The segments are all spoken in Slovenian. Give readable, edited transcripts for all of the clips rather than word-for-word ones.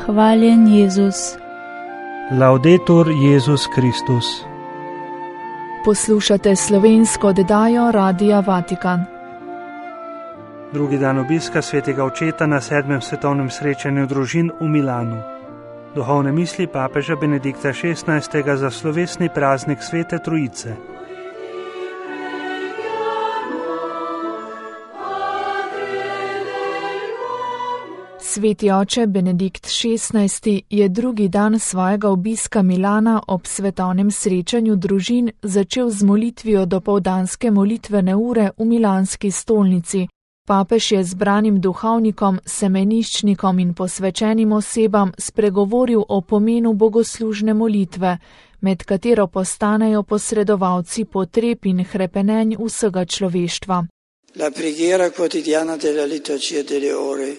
Hvaljen Jezus. Laudetur Jezus Kristus. Poslušate slovensko oddajo Radia Vatikan. Drugi dan obiska svetega očeta na 7. svetovnem srečanju družin v Milanu. Duhovne misli papeža Benedikta XVI. Za slovesni praznik Svete Trojice. Sveti oče Benedikt XVI. Je drugi dan svojega obiska Milana ob svetovnem srečanju družin začel z molitvijo dopoldanske molitvene ure v milanski stolnici. Papež je zbranim duhovnikom, semeniščnikom in posvečenim osebam spregovoril o pomenu bogoslužne molitve, med katero postanejo posredovalci potreb in hrepenenj vsega človeštva. La preghiera quotidiana della liturgia delle ore.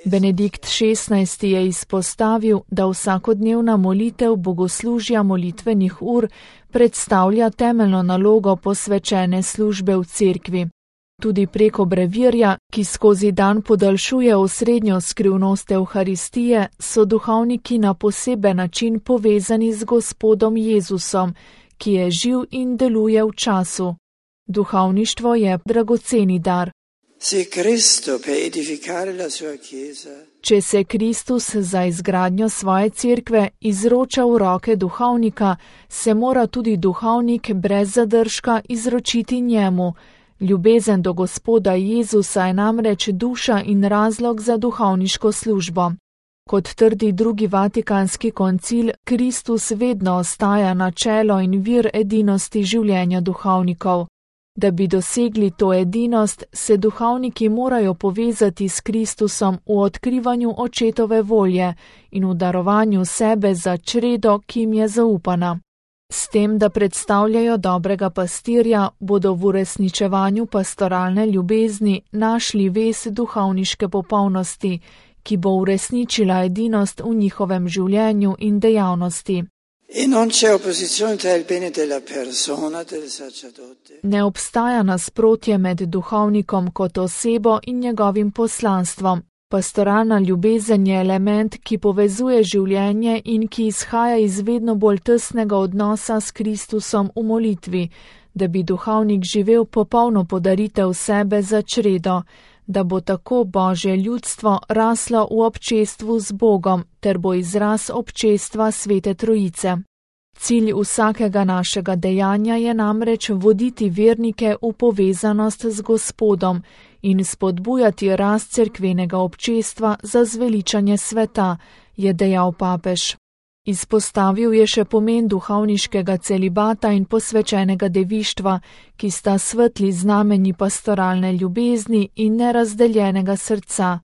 Benedikt XVI. Je izpostavil, da vsakodnevna molitev bogoslužja molitvenih ur predstavlja temeljno nalogo posvečene službe v cerkvi. Tudi preko brevirja, ki skozi dan podaljšuje osrednjo skrivnost Evharistije, so duhovniki na poseben način povezani z Gospodom Jezusom, ki je živ in deluje v času. Duhovništvo je dragoceni dar. Če se Kristus za izgradnjo svoje cerkve izroča v roke duhovnika, se mora tudi duhovnik brez zadržka izročiti njemu. Ljubezen do Gospoda Jezusa je namreč duša in razlog za duhovniško službo. Kot trdi drugi vatikanski koncil, Kristus vedno ostaja načelo in vir edinosti življenja duhovnikov. Da bi dosegli to edinost, se duhovniki morajo povezati s Kristusom v odkrivanju očetove volje in v darovanju sebe za čredo, ki jim je zaupana. S tem, da predstavljajo dobrega pastirja, bodo v uresničevanju pastoralne ljubezni našli vez duhovniške popolnosti, ki bo uresničila edinost v njihovem življenju in dejavnosti. Ne obstaja nasprotje med duhovnikom kot osebo in njegovim poslanstvom. Pastoralna ljubezen je element, ki povezuje življenje in ki izhaja iz vedno bolj tesnega odnosa s Kristusom v molitvi, da bi duhovnik živel popolno podaritev sebe za čredo, da bo tako Božje ljudstvo raslo v občestvu z Bogom ter bo izraz občestva Svete Trojice. Cilj vsakega našega dejanja je namreč voditi vernike v povezanost z Gospodom in spodbujati rast cerkvenega občestva za zveličanje sveta, je dejal papež. Izpostavil je še pomen duhovniškega celibata in posvečenega devištva, ki sta svetli znamenji pastoralne ljubezni in nerazdeljenega srca.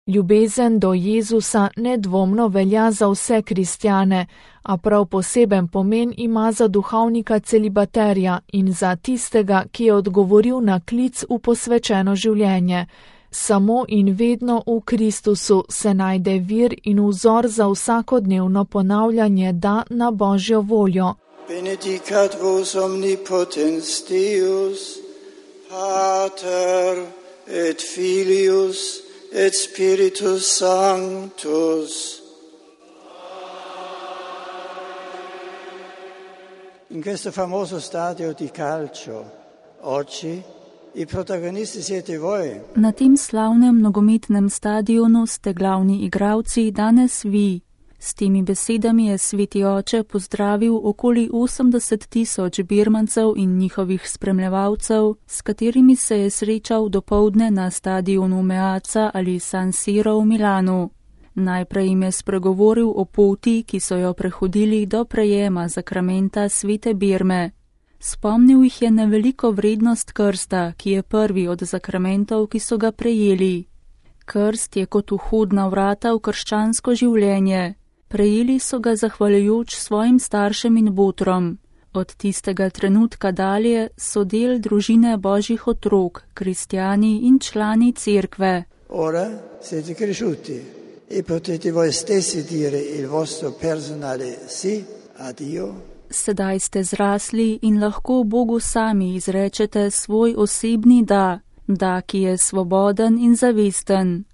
Ljubezen do Jezusa nedvomno velja za vse kristjane, a prav poseben pomen ima za duhovnika celibaterja in za tistega, ki je odgovoril na klic v posvečeno življenje. Samo in vedno v Kristusu se najde vir in vzor za vsakodnevno ponavljanje da na Božjo voljo. Benedicat vos omnipotens Deus, Pater et Filius et Spiritus Sanctus. In questo famoso stadio di calcio, oggi i protagonisti siete voi. Na tem slavnem nogometnem stadionu ste glavni igralci danes vi. S temi besedami je sveti oče pozdravil okoli 80.000 birmancev in njihovih spremljevalcev, s katerimi se je srečal dopoldne na stadionu Meazza ali San Siro v Milanu. Najprej jim je spregovoril o poti, ki so jo prehodili do prejema zakramenta svete Birme. Spomnil jih je na veliko vrednost krsta, ki je prvi od zakramentov, ki so ga prejeli. Krst je kot vhodna vrata v krščansko življenje. Prejeli so ga zahvaljujoč svojim staršem in botrom. Od tistega trenutka dalje so del družine Božjih otrok, kristjani in člani cerkve. Ora siete cresciuti e potete voi stessi dire il vostro personale sì a Dio. Sedaj ste zrasli in lahko Bogu sami izrečete svoj osebni da, ki je svoboden in zavesten.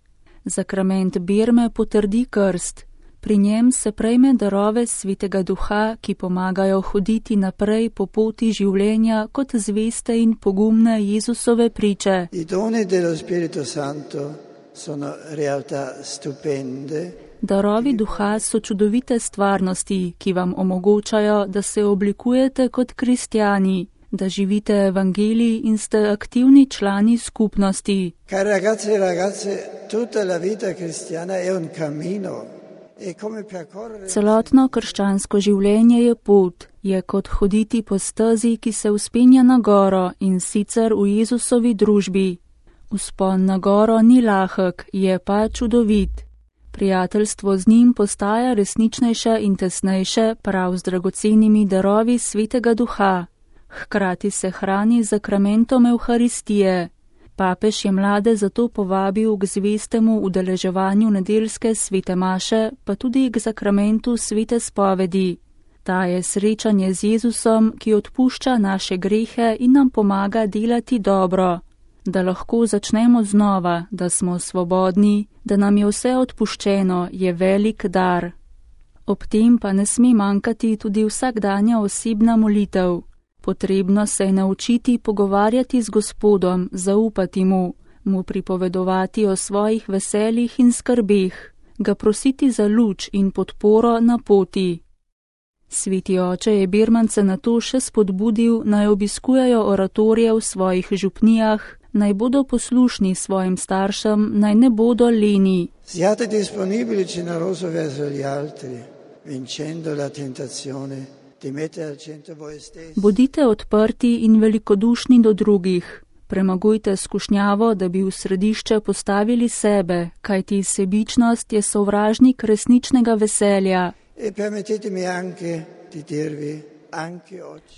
Zakrament birme potrdi krst. Pri njem se prejme darove Svetega Duha, ki pomagajo hoditi naprej po poti življenja kot zveste in pogumne Jezusove priče. I doni dello Spirito Santo sono realtà stupende. Darovi Duha so čudovite stvarnosti, ki vam omogočajo, da se oblikujete kot kristjani, da živite evangelij in ste aktivni člani skupnosti. Cari ragazzi e ragazze, tutta la vita cristiana è un cammino. Celotno krščansko življenje je pot, je kot hoditi po stezi, ki se vzpenja na goro in sicer v Jezusovi družbi. Vzpon na goro ni lahek, je pa čudovit. Prijateljstvo z njim postaja resničnejše in tesnejše prav z dragocenimi darovi Svetega Duha. Hkrati se hrani z zakramentom Evharistije. Papež je mlade zato povabil k zvestemu udeleževanju nedeljske svete maše, pa tudi k zakramentu svete spovedi. Ta je srečanje z Jezusom, ki odpušča naše grehe in nam pomaga delati dobro. Da lahko začnemo znova, da smo svobodni, da nam je vse odpuščeno, je velik dar. Ob tem pa ne sme manjkati tudi vsakdanja osebna molitev. Potrebno se je naučiti pogovarjati z Gospodom, zaupati mu pripovedovati o svojih veseljih in skrbeh, ga prositi za luč in podporo na poti. Sveti oče je birmance na to še spodbudil, naj obiskujejo oratorije v svojih župnijah, naj bodo poslušni svojim staršem, naj ne bodo leni. Siate disponibili generoso verso gli altri, vincendo la tentazione. Bodite odprti in velikodušni do drugih. Premagujte skušnjavo, da bi v središče postavili sebe, kajti sebičnost je sovražnik resničnega veselja.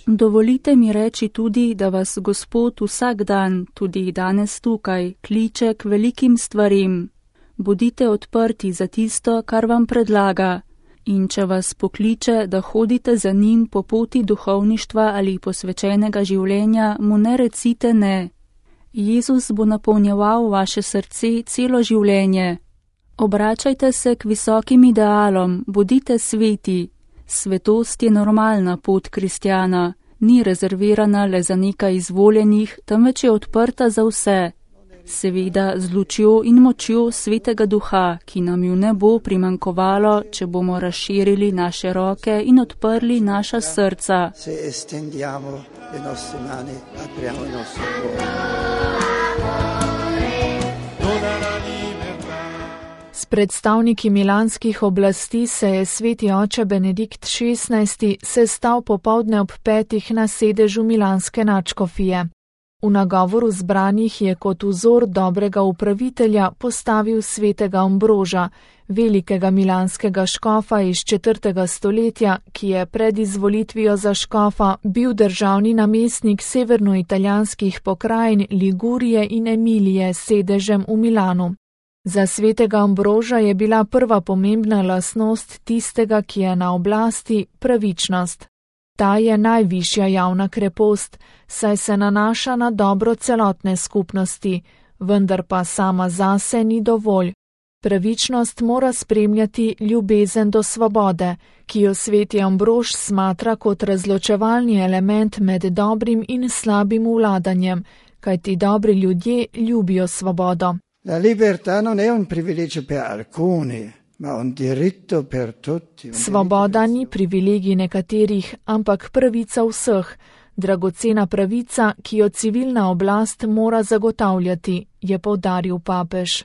Dovolite mi reči tudi, da vas Gospod vsak dan, tudi danes tukaj, kliče k velikim stvarim. Bodite odprti za tisto, kar vam predlaga. In če vas pokliče, da hodite za njim po poti duhovništva ali posvečenega življenja, mu ne recite ne. Jezus bo napolnjeval vaše srce celo življenje. Obračajte se k visokim idealom, bodite sveti. Svetost je normalna pot kristjana, ni rezervirana le za nekaj izvoljenih, temveč je odprta za vse. Seveda z lučjo in močjo Svetega Duha, ki nam ju ne bo primanjkovalo, če bomo razširili naše roke in odprli naša srca. S predstavniki milanskih oblasti se je sveti oče Benedikt XVI sestal popoldne ob 5 na sedežu milanske nadškofije. V nagovoru zbranih je kot vzor dobrega upravitelja postavil svetega Ambroža, velikega milanskega škofa iz 4. stoletja, ki je pred izvolitvijo za škofa bil državni namestnik severnoitalijanskih pokrajin Ligurije in Emilije s sedežem v Milanu. Za svetega Ambroža je bila prva pomembna lastnost tistega, ki je na oblasti, pravičnost. Ta je najvišja javna krepost, saj se nanaša na dobro celotne skupnosti, vendar pa sama zase ni dovolj. Pravičnost mora spremljati ljubezen do svobode, ki jo sveti Ambrož smatra kot razločevalni element med dobrim in slabim vladanjem, kajti dobri ljudje ljubijo svobodo. La libertà non è un privilegio per alcuni. Svoboda ni privilegij nekaterih, ampak pravica vseh, dragocena pravica, ki jo civilna oblast mora zagotavljati, je poudaril papež.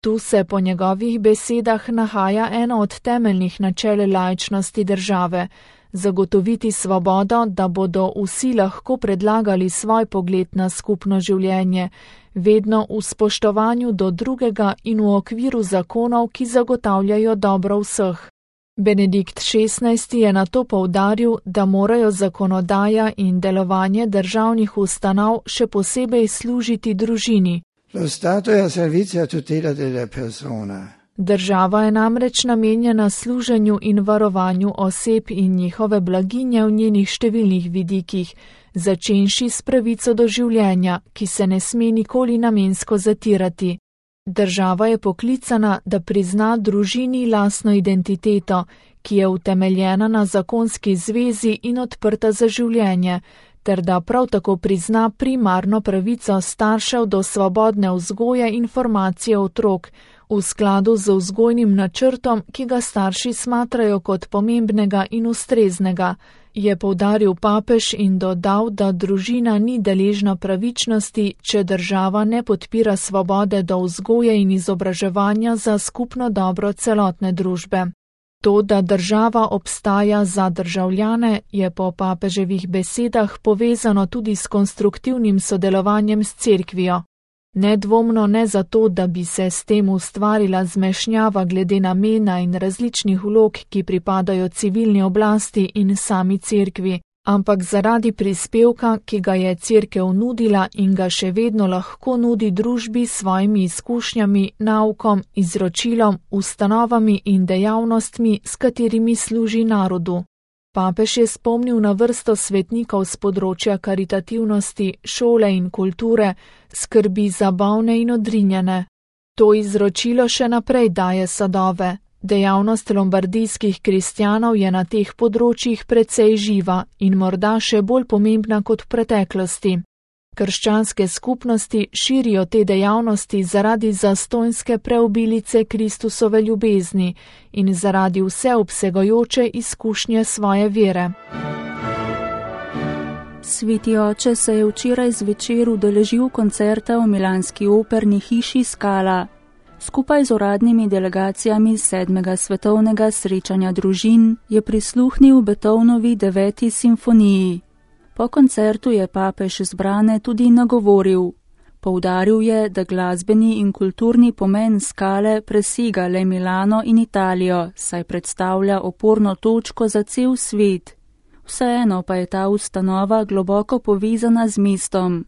Tu se po njegovih besedah nahaja eno od temeljnih načel laičnosti države, zagotoviti svobodo, da bodo vsi lahko predlagali svoj pogled na skupno življenje, vedno v spoštovanju do drugega in v okviru zakonov, ki zagotavljajo dobro vseh. Benedikt XVI je na to poudaril, da morajo zakonodaja in delovanje državnih ustanov še posebej služiti družini. Lo Stato è a servizio a tutela della persona. Država je namreč namenjena služenju in varovanju oseb in njihove blaginje v njenih številnih vidikih, začenši s pravico do življenja, ki se ne sme nikoli namensko zatirati. Država je poklicana, da prizna družini lastno identiteto, ki je utemeljena na zakonski zvezi in odprta za življenje, ter da prav tako prizna primarno pravico staršev do svobodne vzgoje in formacije otrok, v skladu z vzgojnim načrtom, ki ga starši smatrajo kot pomembnega in ustreznega, je poudaril papež in dodal, da družina ni deležna pravičnosti, če država ne podpira svobode do vzgoje in izobraževanja za skupno dobro celotne družbe. To, da država obstaja za državljane, je po papeževih besedah povezano tudi s konstruktivnim sodelovanjem s cerkvijo. Nedvomno ne zato, da bi se s tem ustvarila zmešnjava glede namena in različnih vlog, ki pripadajo civilni oblasti in sami cerkvi, ampak zaradi prispevka, ki ga je cerkev nudila in ga še vedno lahko nudi družbi s svojimi izkušnjami, naukom, izročilom, ustanovami in dejavnostmi, s katerimi služi narodu. Papež je spomnil na vrsto svetnikov z področja karitativnosti, šole in kulture, skrbi za bolne in odrinjene. To izročilo še naprej daje sadove. Dejavnost lombardijskih kristjanov je na teh področjih precej živa in morda še bolj pomembna kot v preteklosti. Krščanske skupnosti širijo te dejavnosti zaradi zastonjske preobilice Kristusove ljubezni in zaradi vseobsegajoče izkušnje svoje vere. Sveti oče se je včeraj zvečer udeležil koncerta v milanski operni hiši Scala. Skupaj z uradnimi delegacijami 7. svetovnega srečanja družin je prisluhnil Beethovnovi 9. simfoniji. Po koncertu je papež zbrane tudi nagovoril. Poudaril je, da glasbeni in kulturni pomen Scale presega le Milano in Italijo, saj predstavlja oporno točko za cel svet. Vseeno pa je ta ustanova globoko povezana z mestom.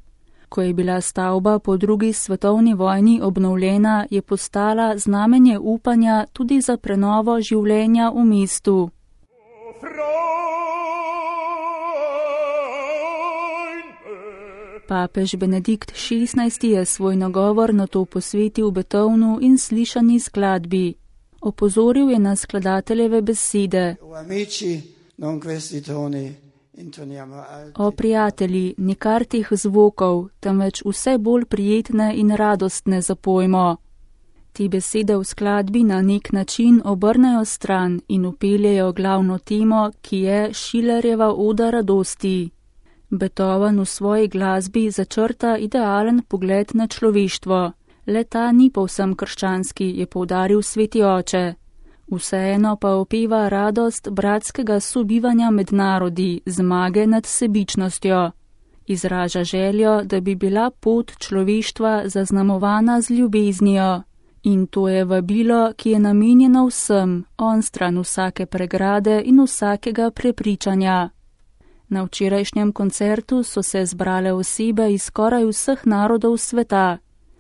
Ko je bila stavba po drugi svetovni vojni obnovljena, je postala znamenje upanja tudi za prenovo življenja v mestu. Papež Benedikt XVI je svoj nagovor na to posvetil Beethovnu in slišani skladbi. Opozoril je na skladateljeve besede. O prijatelji, nikar teh zvokov, temveč vse bolj prijetne in radostne zapojmo. Te besede v skladbi na nek način obrnejo stran in upeljejo glavno temo, ki je Schillerjeva oda radosti. Beethoven v svoji glasbi začrta idealen pogled na človeštvo. Le ta ni povsem krščanski, je poudaril sveti oče. Vseeno pa opeva radost bratskega sobivanja med narodi, zmage nad sebičnostjo. Izraža željo, da bi bila pot človeštva zaznamovana z ljubeznijo. In to je vabilo, ki je namenjeno vsem, onstran vsake pregrade in vsakega prepričanja. Na včerajšnjem koncertu so se zbrale osebe iz skoraj vseh narodov sveta.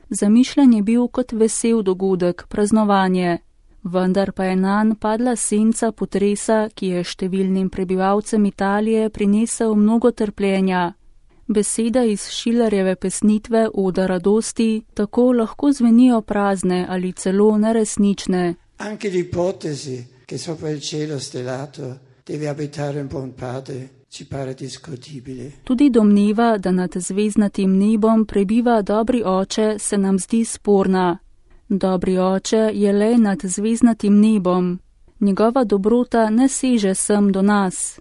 Zamišljen je bil kot vesel dogodek, praznovanje. Vendar pa je nanj padla senca potresa, ki je številnim prebivalcem Italije prinesel mnogo trpljenja. Beseda iz Schillerjeve pesnitve Oda radosti tako lahko zvenijo prazne ali celo neresnične. Anche l'ipotesi che sopra il cielo stellato deve abitare un buon padre ci pare discutibile. Tudi domneva, da nad zvezdnatim nebom prebiva dobri oče, se nam zdi sporna. Dobri oče je le nad zvezdnatim nebom. Njegova dobrota ne seže sem do nas.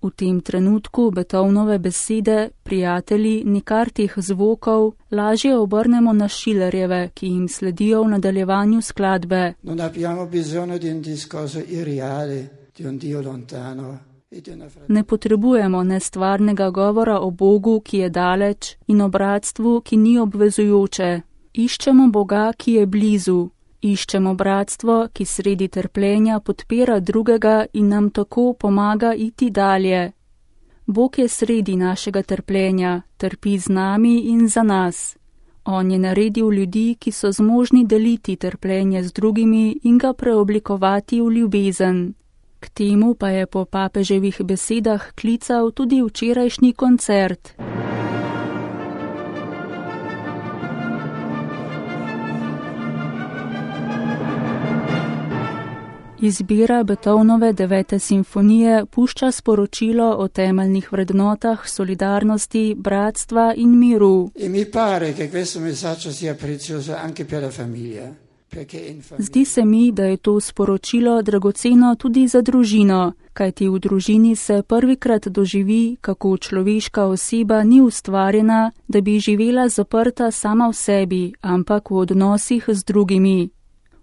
V tem trenutku Beethovenove besede, prijatelji, nikar teh zvokov, lažje obrnemo na Schillerjeve, ki jim sledijo v nadaljevanju skladbe. Non abbiamo bisogno di un discorso irreale, di un Dio lontano. Ne potrebujemo nestvarnega govora o Bogu, ki je daleč, in o bratstvu, ki ni obvezujoče. Iščemo Boga, ki je blizu. Iščemo bratstvo, ki sredi trpljenja podpira drugega in nam tako pomaga iti dalje. Bog je sredi našega trpljenja, trpi z nami in za nas. On je naredil ljudi, ki so zmožni deliti trpljenje z drugimi in ga preoblikovati v ljubezen. K temu pa je po papeževih besedah klical tudi včerajšnji koncert. Izbira Beethovenove 9. simfonije pušča sporočilo o temeljnih vrednotah solidarnosti, bratstva in miru. Zdi se mi, da je to sporočilo dragoceno tudi za družino, kajti v družini se prvikrat doživi, kako človeška oseba ni ustvarjena, da bi živela zaprta sama v sebi, ampak v odnosih z drugimi.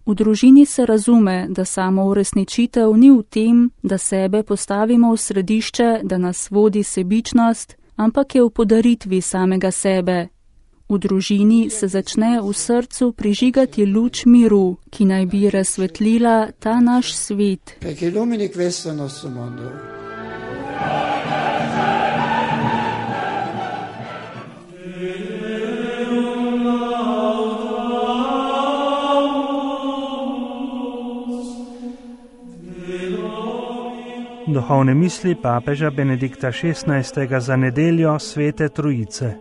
V družini se razume, da samo uresničitev ni v tem, da sebe postavimo v središče, da nas vodi sebičnost, ampak je v podaritvi samega sebe. V družini se začne v srcu prižigati luč miru, ki naj bi razsvetlila ta naš svet. Duhovne misli papeža Benedikta XVI. Za nedeljo Svete Trojice.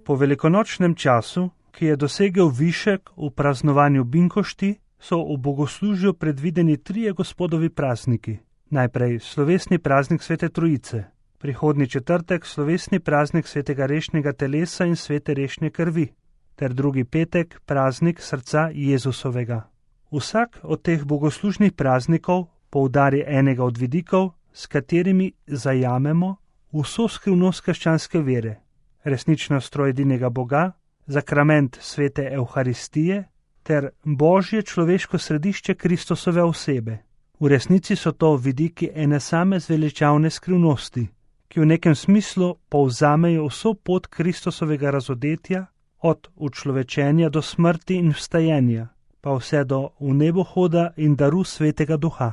Po velikonočnem času, ki je dosegel višek v praznovanju binkošti, so v bogoslužju predvideni 3 gospodovi prazniki. Najprej slovesni praznik Svete Trojice, prihodnji četrtek slovesni praznik svetega rešnjega telesa in svete rešnje krvi, ter drugi petek praznik srca Jezusovega. Vsak od teh bogoslužnih praznikov poudari enega od vidikov, s katerimi zajamemo vso skrivnost krščanske vere, resničnost trojedinega Boga, zakrament svete Evharistije ter Božje človeško središče Kristusove osebe. V resnici so to vidiki ene same zveličavne skrivnosti, ki v nekem smislu povzamejo vso pot Kristusovega razodetja, od učlovečenja do smrti in vstajenja, pa vse do v nebohoda in daru svetega duha.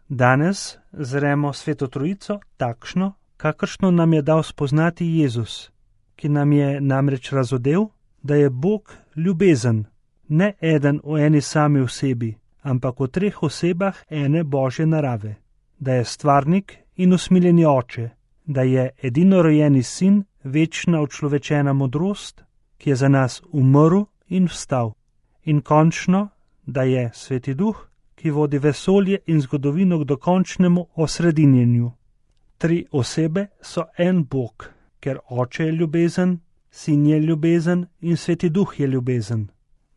Danes zremo Sveto Trojico takšno, kakršno nam je dal spoznati Jezus, ki nam je namreč razodel, da je Bog ljubezen, ne eden v eni sami osebi, ampak v 3 osebah ene Božje narave, da je stvarnik in usmiljeni oče, da je edinorojeni sin, večna učlovečena modrost, ki je za nas umrl in vstal, in končno, da je Sveti Duh, ki vodi vesolje in zgodovino k dokončnemu osredinjenju. 3 osebe so en Bog, ker Oče je ljubezen, Sin je ljubezen in Sveti Duh je ljubezen.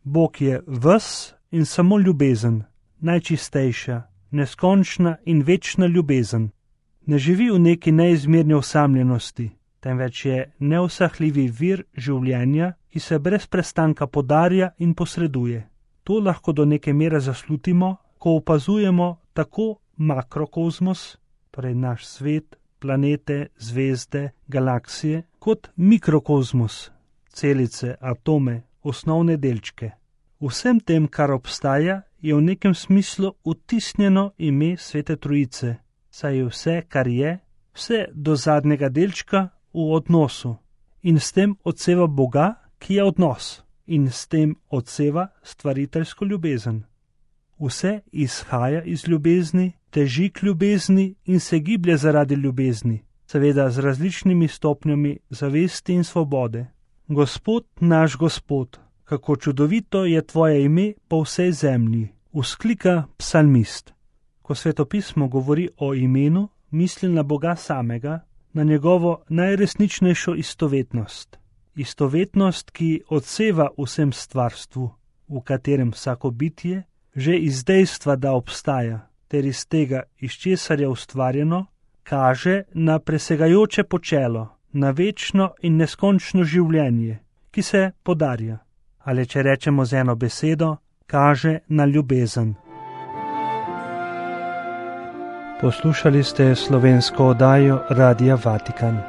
Bog je ves in samo ljubezen, najčistejša, neskončna in večna ljubezen. Ne živi v neki neizmerni osamljenosti, temveč je neusahljivi vir življenja, ki se brez prestanka podarja in posreduje. To lahko do neke mere zaslutimo, ko opazujemo tako makrokozmos, torej naš svet, planete, zvezde, galaksije, kot mikrokozmos, celice, atome, osnovne delčke. Vsem tem, kar obstaja, je v nekem smislu vtisnjeno ime Svete Trojice, saj je vse, kar je, vse do zadnjega delčka v odnosu in s tem odseva Boga, ki je odnos, in s tem odseva stvariteljsko ljubezen. Vse izhaja iz ljubezni, teži k ljubezni in se giblje zaradi ljubezni, seveda z različnimi stopnjami zavesti in svobode. Gospod naš Gospod, kako čudovito je tvoje ime po vsej zemlji, vzklika psalmist. Ko Svetopismo govori o imenu, misli na Boga samega, na njegovo najresničnejšo istovetnost. Istovetnost, ki odseva vsem stvarstvu, v katerem vsako bitje, že iz dejstva, da obstaja, ter iz tega, iz česar je ustvarjeno, kaže na presegajoče počelo, na večno in neskončno življenje, ki se podarja. Ali če rečemo z eno besedo, kaže na ljubezen. Poslušali ste slovensko oddajo Radia Vatikan.